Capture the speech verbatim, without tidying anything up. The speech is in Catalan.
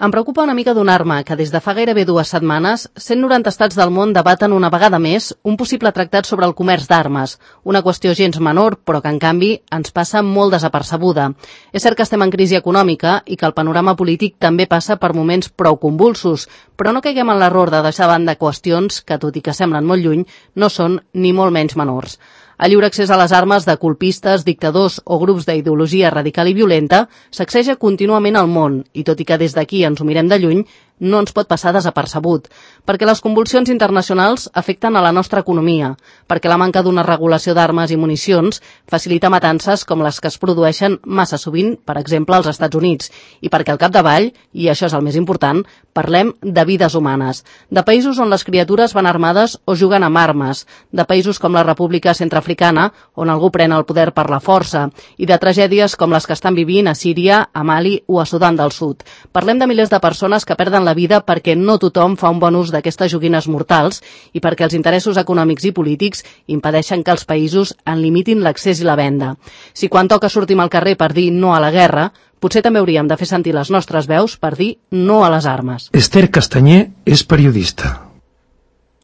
Em preocupa una mica donar-me que des de fa gairebé dues setmanes cent noranta estats del món debaten una vegada més un possible tractat sobre el comerç d'armes, una qüestió gens menor, però que en canvi ens passa molt desapercebuda. És cert que estem en crisi econòmica i que el panorama polític també passa per moments prou convulsos, però no caiguem en l'error de deixar a banda qüestions que, tot i que semblen molt lluny, no són ni molt menys menors. El lliure accés a les armes de colpistes, dictadors o grups d'ideologia radical i violenta sacseja contínuament el món i, tot i que des d'aquí ens ho mirem de lluny, no ens pot passar desapercebut, perquè les convulsions internacionals afecten a la nostra economia, perquè la manca d'una regulació d'armes i municions facilita matances com les que es produeixen massa sovint, per exemple, als Estats Units, i perquè al capdavall, i això és el més important, parlem de vides humanes, de països on les criatures van armades o juguen amb armes, de països com la República Centreafricana, on algú pren el poder per la força, i de tragèdies com les que estan vivint a Síria, a Mali o a Sudan del Sud. Parlem de milers de persones que perden la vida perquè no tothom fa un bon ús d'aquestes joguines mortals i perquè els interessos econòmics i polítics impedeixen que els països en limitin l'accés i la venda. Si quan toca sortim al carrer per dir no a la guerra, potser també hauríem de fer sentir les nostres veus per dir no a les armes. Esther Castanyer és periodista.